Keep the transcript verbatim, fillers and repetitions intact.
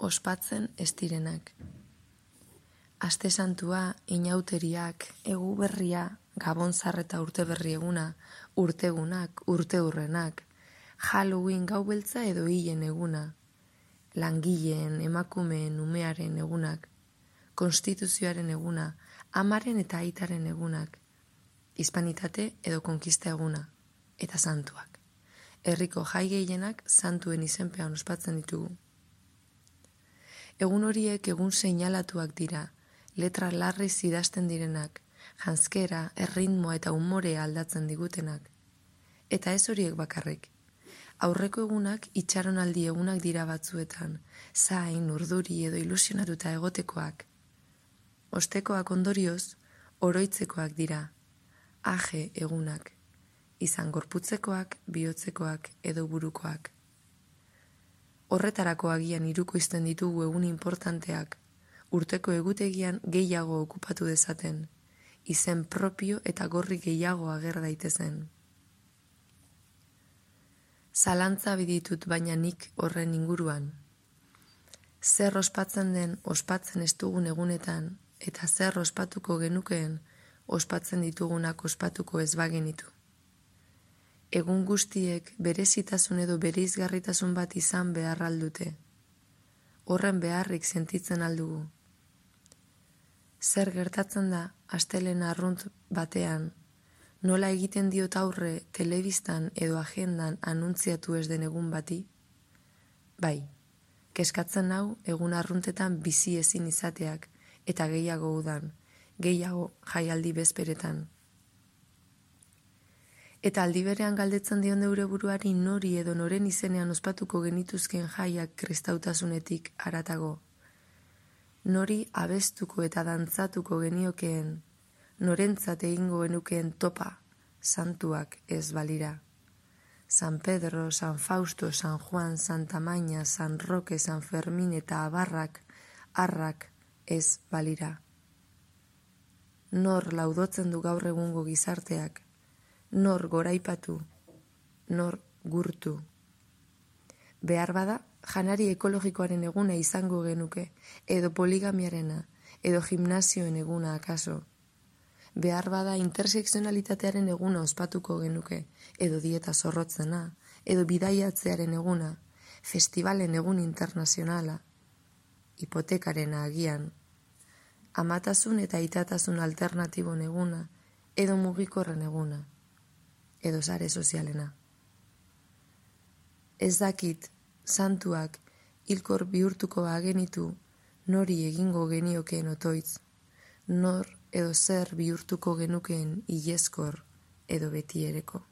ospatzen ez direnak. Aste santua, inauteriak, egu berria, gabonzar eta urte berri eguna, urtegunak, urteurrenak, Halloween gau beltza edo hilen eguna, langileen, emakumeen, umearen egunak, konstituzioaren eguna, amaren eta aitaren egunak, hispanitate edo konkista eguna, eta santuak. Herriko jai gehienak santuen izenpean ospatzen ditugu. Egun horiek egun seinalatuak dira, letra larriz idazten direnak, janzkera, erritmoa eta umorea aldatzen digutenak. Eta ez horiek bakarrik. Aurreko egunak itxaronaldi egunak dira batzuetan, zain, urduri edo ilusionatuta egotekoak. Ostekoak ondorioz, oroitzekoak dira, aje egunak, izan gorputzekoak, bihotzekoak edo burukoak. Horretarako agian hiruko izten ditugu egun importanteak, urteko egutegian gehiago okupatu dezaten, izen propio eta gorri gehiago ager daitezen. Zalantza biditut baina nik horren inguruan. Zer ospatzen den ospatzen ez dugun egunetan, eta zer ospatuko genukeen ospatzen ditugunak ospatuko ez bagenitu. Egun guztiek berezitasun edo bereizgarritasun bat izan behar aldute. Horren beharrik sentitzen aldugu. Zer gertatzen da astelehen arrunt batean, nola egiten diot aurre telebistan edo agendan anuntziatu ez den egun bati? Bai, keskatzen hau egun arruntetan bizi ezin izateak eta gehiago udan, gehiago jaialdi bezperetan. Eta aldi berean galdetzen dion deure buruari nori edo noren izenean ospatuko genituzken jaiak kristautasunetik haratago. Nori abestuko eta dantzatuko geniokeen, norentzat egingo genukeen topa, santuak ez balira. San Pedro, San Fausto, San Juan, Santa Maña, San Roque, San Fermin eta abarrak, arrak ez balira. Nor laudotzen du gaur egungo gizarteak, nor goraipatu, nor gurtu. Behar bada, janari ekologikoaren eguna izango genuke, edo poligamiarena, edo gimnasioen eguna akaso. Behar bada interseksionalitatearen eguna ospatuko genuke, edo dieta zorrotzena, edo bidaiatzearen eguna, festivalen egun internazionala, hipotekarena agian, amatasun eta itatasun alternatibon eguna, edo mugikorren eguna, edo sare sozialena. Ez dakit, santuak hilkor bihurtuko bagenitu nori egingo geniokeen otoitz, nor edo zer bihurtuko genukeen ileskor edo betiereko.